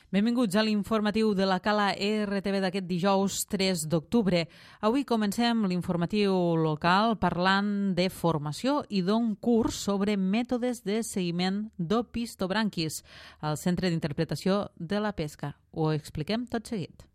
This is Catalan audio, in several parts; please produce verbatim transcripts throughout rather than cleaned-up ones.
Benvinguts a l'informatiu de la Cala R T V d'aquest dijous tres d'octubre. Avui comencem l'informatiu local parlant de formació i d'un curs sobre mètodes de seguiment d'opistobranquis al Centre d'Interpretació de la Pesca. Ho expliquem tot seguit.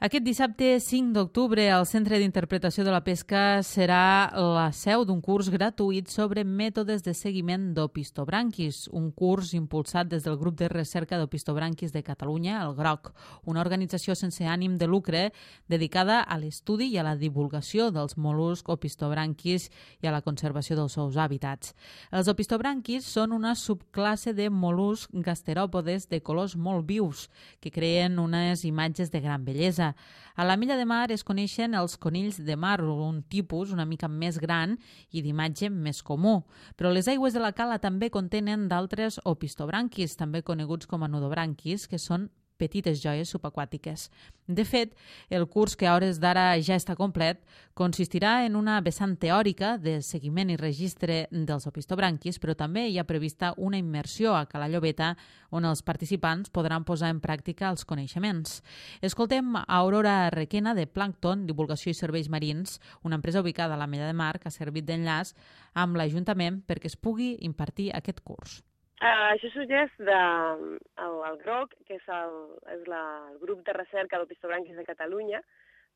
Aquest dissabte cinc d'octubre el Centre d'Interpretació de la Pesca serà la seu d'un curs gratuït sobre mètodes de seguiment d'opistobranquis, un curs impulsat des del Grup de Recerca d'Opistobranquis de Catalunya, el GROC, una organització sense ànim de lucre dedicada a l'estudi i a la divulgació dels mol·luscs opistobranquis i a la conservació dels seus hàbitats. Els opistobranquis són una subclasse de mol·luscs gasteròpodes de colors molt vius que creen unes imatges de gran bellesa. A la Milla de Mar es coneixen els conills de mar, un tipus una mica més gran i d'imatge més comú. Però les aigües de la cala també contenen d'altres opistobranquis, també coneguts com a nudobranquis, que són petites joies subaquàtiques. De fet, el curs, que a hores d'ara ja està complet, consistirà en una vessant teòrica de seguiment i registre dels opistobranquis, però també hi ha prevista una immersió a Cala Llobeta on els participants podran posar en pràctica els coneixements. Escoltem a Aurora Requena de Plàncton, Divulgació i Serveis Marins, una empresa ubicada a la Mella de Mar que ha servit d'enllaç amb l'Ajuntament perquè es pugui impartir aquest curs. Uh, això sorgeix del de, GROC, que és el, és la, el grup de recerca d'opistobranquis de Catalunya.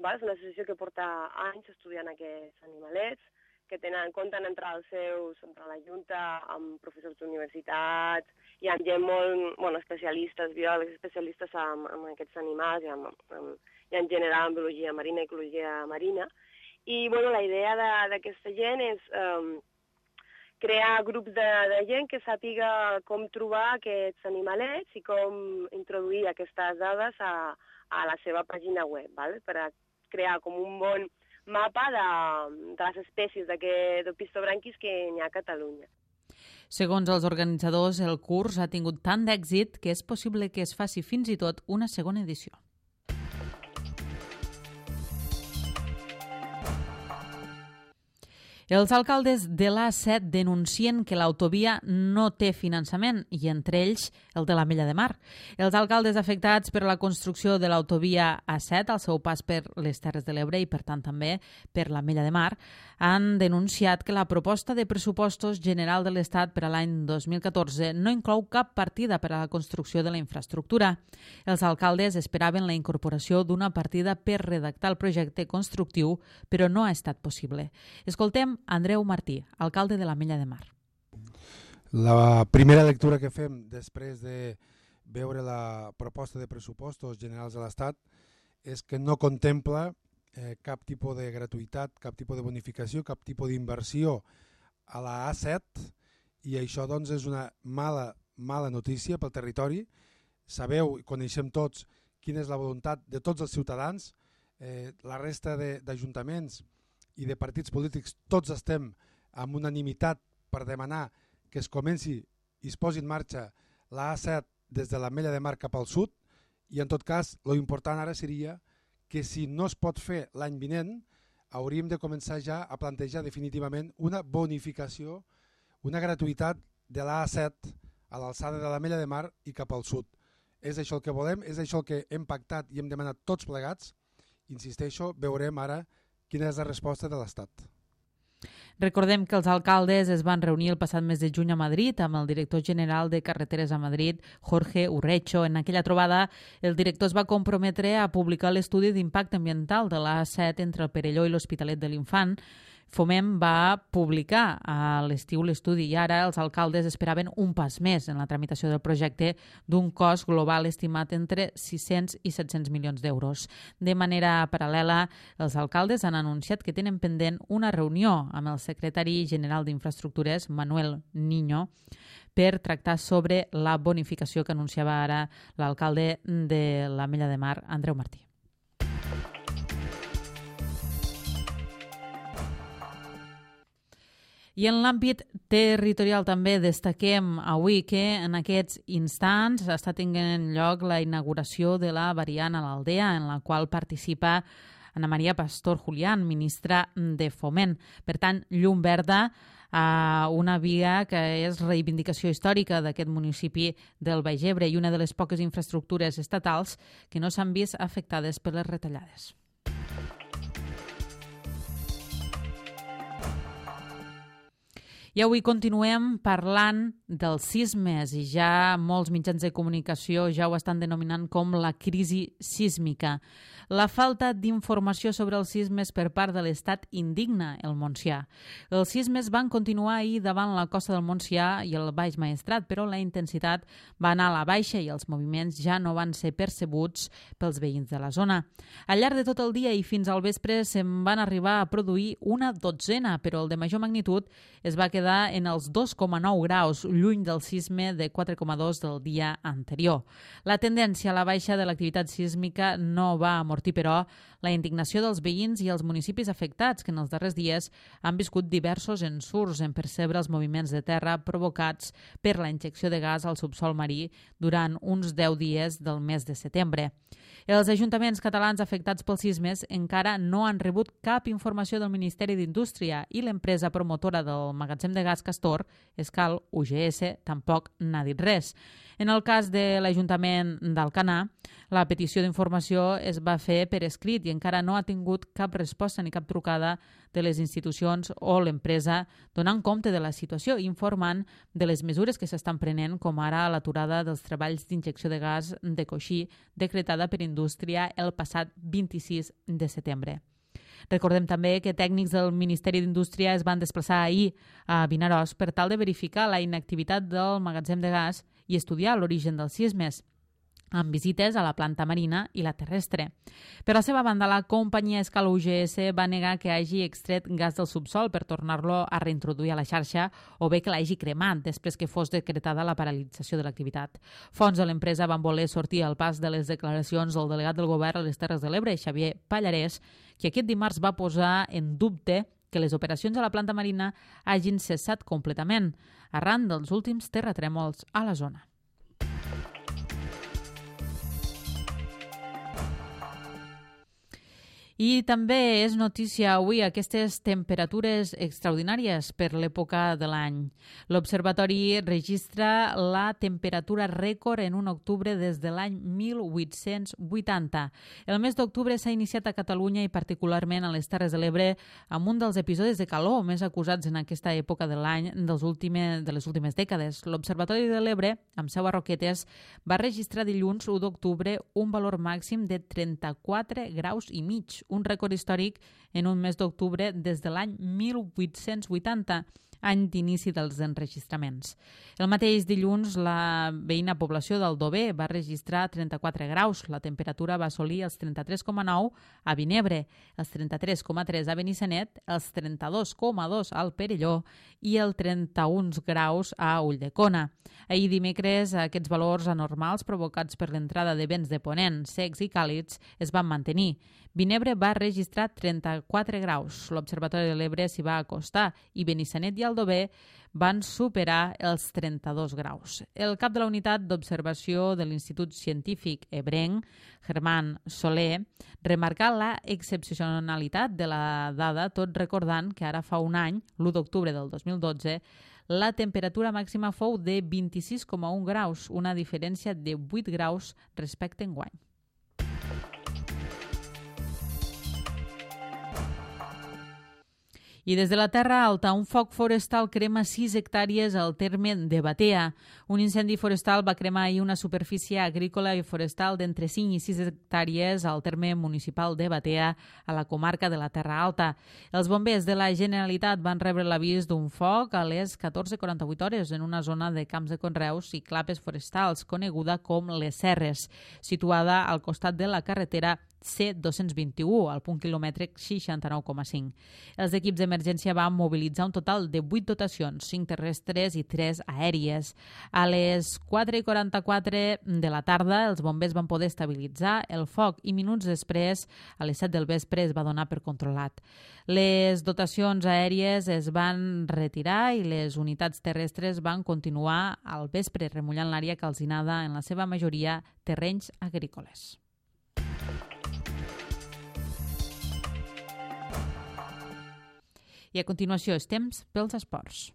Val? És una associació que porta anys estudiant aquests animalets, que tenen, compten entre els seus, entre la Junta, amb professors d'universitats i amb gent molt, bueno, especialistes, biòlegs especialistes en, en aquests animals i, en, en, i en general en biologia marina i ecologia marina. I bueno, la idea d'aquesta gent és um, crear grups de, de gent que sàpiga com trobar aquests animalets i com introduir aquestes dades a, a la seva pàgina web, val? Per a crear com un bon mapa de, de les espècies d'opistobranquis que n'hi ha a Catalunya. Segons els organitzadors, el curs ha tingut tant d'èxit que és possible que es faci fins i tot una segona edició. Els alcaldes de l'A set denuncien que l'autovia no té finançament i entre ells el de la Mella de Mar. Els alcaldes afectats per la construcció de l'autovia A set al seu pas per les Terres de l'Ebre i per tant també per la Mella de Mar han denunciat que la proposta de pressupostos general de l'Estat per a l'any dos mil catorze no inclou cap partida per a la construcció de la infraestructura. Els alcaldes esperaven la incorporació d'una partida per redactar el projecte constructiu, però no ha estat possible. Escoltem Andreu Martí, alcalde de la Mella de Mar. La primera lectura que fem després de veure la proposta de pressupostos generals de l'Estat és que no contempla eh, cap tipus de gratuïtat, cap tipus de bonificació, cap tipus d'inversió a la A set i això doncs és una mala, mala notícia pel territori. Sabeu i coneixem tots quina és la voluntat de tots els ciutadans, eh, la resta d'ajuntaments i de partits polítics, tots estem amb unanimitat per demanar que es comenci i es posi en marxa la A set des de la Mella de Mar cap al sud i en tot cas l'important ara seria que si no es pot fer l'any vinent hauríem de començar ja a plantejar definitivament una bonificació, una gratuïtat de la A set a l'alçada de la Mella de Mar i cap al sud. És això el que volem, és això el que hem pactat i hem demanat tots plegats. Insisteixo, veurem ara quina és la resposta de l'Estat. Recordem que els alcaldes es van reunir el passat mes de juny a Madrid amb el director general de Carreteres a Madrid, Jorge Urrecho. En aquella trobada, el director es va comprometre a publicar l'estudi d'impacte ambiental de l'A set entre el Perelló i l'Hospitalet de l'Infant. Foment va publicar a l'estiu l'estudi i ara els alcaldes esperaven un pas més en la tramitació del projecte d'un cost global estimat entre sis-cents i set-cents milions d'euros. De manera paral·lela, els alcaldes han anunciat que tenen pendent una reunió amb el secretari general d'Infraestructures, Manuel Niño, per tractar sobre la bonificació que anunciava ara l'alcalde de la Mella de Mar, Andreu Martí. I en l'àmbit territorial també destaquem avui que en aquests instants està tenint lloc la inauguració de la variant a l'Aldea, en la qual participa Ana María Pastor Julián, ministra de Foment. Per tant, llum verda a una via que és reivindicació històrica d'aquest municipi del Baix Ebre i una de les poques infraestructures estatals que no s'han vist afectades per les retallades. I avui continuem parlant dels sismes i ja molts mitjans de comunicació ja ho estan denominant com la crisi sísmica. La falta d'informació sobre els sismes per part de l'Estat indigna el Montsià. Els sismes van continuar ahir davant la costa del Montsià i el Baix Maestrat, però la intensitat va anar a la baixa i els moviments ja no van ser percebuts pels veïns de la zona. Al llarg de tot el dia i fins al vespre se'n van arribar a produir una dotzena, però el de major magnitud es va quedar en els dos coma nou graus, lluny del sisme de quatre coma dos del dia anterior. La tendència a la baixa de l'activitat sísmica no va amortir, però, la indignació dels veïns i els municipis afectats, que en els darrers dies han viscut diversos ensurts en percebre els moviments de terra provocats per la injecció de gas al subsol marí durant uns deu dies del mes de setembre. Els ajuntaments catalans afectats pels sismes encara no han rebut cap informació del Ministeri d'Indústria i l'empresa promotora del magatzem de gas Castor, Escal U G S, tampoc n'ha dit res. En el cas de l'Ajuntament d'Alcanar, la petició d'informació es va fer per escrit i encara no ha tingut cap resposta ni cap trucada de les institucions o l'empresa donant compte de la situació i informant de les mesures que s'estan prenent, com ara l'aturada dels treballs d'injecció de gas de coixí decretada per Indústria el passat vint-i-sis de setembre. Recordem també que tècnics del Ministeri d'Indústria es van desplaçar ahir a Vinaròs per tal de verificar la inactivitat del magatzem de gas i estudiar l'origen dels sismes, amb visites a la planta marina i la terrestre. Per la seva banda, la companyia Escal U G S va negar que hagi extret gas del subsol per tornar-lo a reintroduir a la xarxa o bé que l'hagi cremat després que fos decretada la paralització de l'activitat. Fons de l'empresa van voler sortir al pas de les declaracions del delegat del govern a les Terres de l'Ebre, Xavier Pallarès, que aquest dimarts va posar en dubte que les operacions a la planta marina hagin cessat completament arran dels últims terratrèmols a la zona. I també és notícia avui aquestes temperatures extraordinàries per l'època de l'any. L'Observatori registra la temperatura rècord en un octubre des de l'any mil vuit-cents vuitanta. El mes d'octubre s'ha iniciat a Catalunya i particularment a les Terres de l'Ebre amb un dels episodis de calor més acusats en aquesta època de l'any dels últimes, de les últimes dècades. L'Observatori de l'Ebre, amb seu a Roquetes, va registrar dilluns u d'octubre un valor màxim de trenta-quatre graus i mig, un rècord històric en un mes d'octubre des de l'any mil vuit-cents vuitanta, any d'inici dels enregistraments. El mateix dilluns, la veïna població d'Aldover va registrar trenta-quatre graus. La temperatura va assolir els trenta-tres coma nou a Vinebre, els trenta-tres coma tres a Benissanet, els trenta-dos coma dos al Perelló i el trenta-un graus a Ulldecona. Ahir dimecres, aquests valors anormals provocats per l'entrada de vents de ponent, secs i càlids es van mantenir. Vinebre va registrar trenta-quatre graus. L'Observatori de l'Ebre s'hi va acostar i Benissanet i Aldover van superar els trenta-dos graus. El cap de la unitat d'observació de l'Institut Científic Ebrenc, Germán Soler, remarcà la excepcionalitat de la dada, tot recordant que ara fa un any, l'u d'octubre del dos mil dotze, la temperatura màxima fou de vint-i-sis coma un graus, una diferència de vuit graus respecte a enguany. I des de la Terra Alta, un foc forestal crema sis hectàrees al terme de Batea. Un incendi forestal va cremar ahir una superfície agrícola i forestal d'entre cinc i sis hectàrees al terme municipal de Batea, a la comarca de la Terra Alta. Els bombers de la Generalitat van rebre l'avís d'un foc a les catorze quaranta-vuit hores en una zona de camps de conreus i clapes forestals, coneguda com les Serres, situada al costat de la carretera C dos-cents vint-i-u, al punt quilomètric seixanta-nou coma cinc. Els equips d'emergència van mobilitzar un total de vuit dotacions, cinc terrestres i tres aèries. A les quatre i quaranta-quatre de la tarda, els bombers van poder estabilitzar el foc i minuts després, a les set del vespre, es va donar per controlat. Les dotacions aèries es van retirar i les unitats terrestres van continuar al vespre remullant l'àrea calcinada, en la seva majoria terrenys agrícoles. I a continuació és temps pels esports.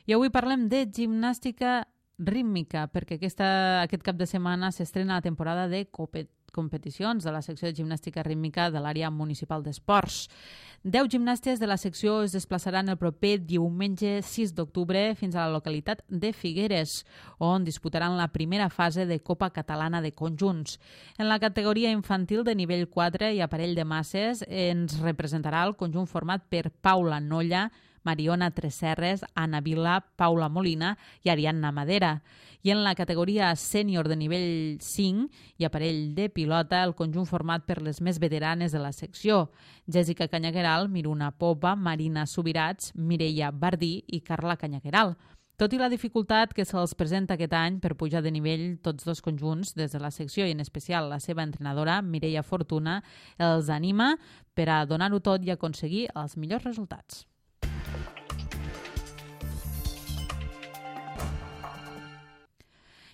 I avui parlem de gimnàstica rítmica, perquè aquesta, aquest cap de setmana s'estrena la temporada de competicions de la secció de gimnàstica rítmica de l'àrea municipal d'esports. Deu gimnastes de la secció es desplaçaran el proper diumenge sis d'octubre fins a la localitat de Figueres, on disputaran la primera fase de Copa Catalana de Conjunts. En la categoria infantil de nivell quatre i aparell de masses ens representarà el conjunt format per Paula Nolla, Mariona Tresserres, Anna Vila, Paula Molina i Ariadna Madera. I en la categoria sènior de nivell cinc i aparell de pilota, el conjunt format per les més veteranes de la secció: Jessica Canyagueral, Miruna Popa, Marina Subirats, Mireia Bardí i Carla Canyagueral. Tot i la dificultat que se'ls presenta aquest any per pujar de nivell tots dos conjunts, des de la secció i en especial la seva entrenadora, Mireia Fortuna, els anima per a donar-ho tot i aconseguir els millors resultats.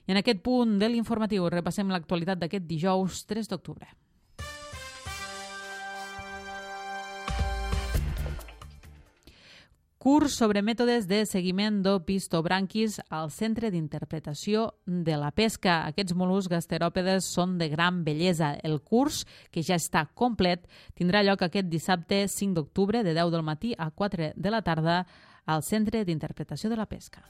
I en aquest punt de l'informatiu repassem l'actualitat d'aquest dijous tres d'octubre. Curs sobre mètodes de seguiment d'opistobranquis al Centre d'Interpretació de la Pesca. Aquests mol·luscs gasteròpedes són de gran bellesa. El curs, que ja està complet, tindrà lloc aquest dissabte cinc d'octubre de deu del matí a quatre de la tarda al Centre d'Interpretació de la Pesca.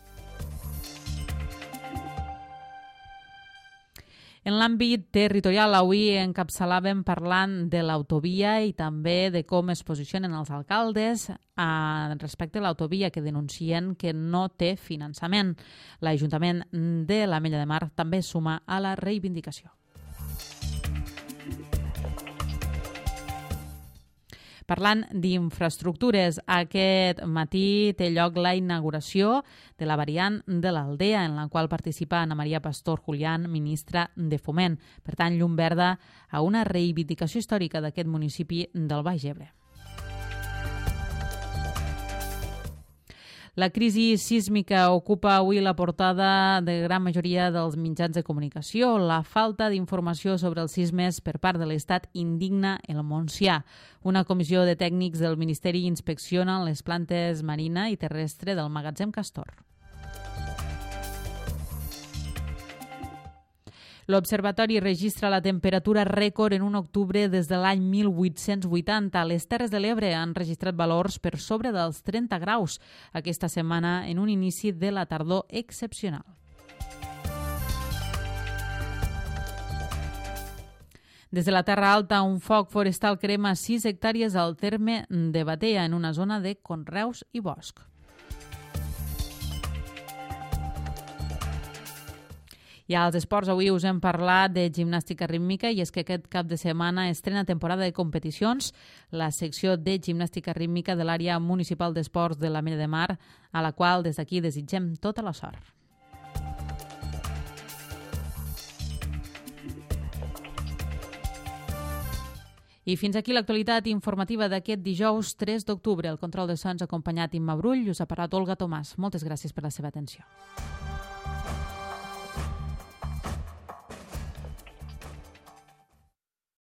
En l'àmbit territorial, avui encapçalàvem parlant de l'autovia i també de com es posicionen els alcaldes respecte a l'autovia, que denuncien que no té finançament. L'Ajuntament de l'Ametlla de Mar també suma a la reivindicació. Parlant d'infraestructures, aquest matí té lloc la inauguració de la variant de l'Aldea, en la qual participa Ana Maria Pastor Julián, ministra de Foment. Per tant, llum verda a una reivindicació històrica d'aquest municipi del Baix Ebre. La crisi sísmica ocupa avui la portada de gran majoria dels mitjans de comunicació. La falta d'informació sobre els sismes per part de l'Estat indigna el Montsià. Una comissió de tècnics del Ministeri inspecciona les plantes marina i terrestre del magatzem Castor. L'Observatori registra la temperatura rècord en un octubre des de l'any mil vuit-cents vuitanta. Les Terres de l'Ebre han registrat valors per sobre dels trenta graus aquesta setmana en un inici de la tardor excepcional. Des de la Terra Alta, un foc forestal crema sis hectàrees al terme de Batea, en una zona de conreus i bosc. I als esports, avui us hem parlat de gimnàstica rítmica, i és que aquest cap de setmana estrena temporada de competicions la secció de gimnàstica rítmica de l'àrea municipal d'esports de l'Ametlla de Mar, a la qual des d'aquí desitgem tota la sort. I fins aquí l'actualitat informativa d'aquest dijous tres d'octubre. El control de sons acompanyat Imma Brull, us ha parlat Olga Tomàs. Moltes gràcies per la seva atenció.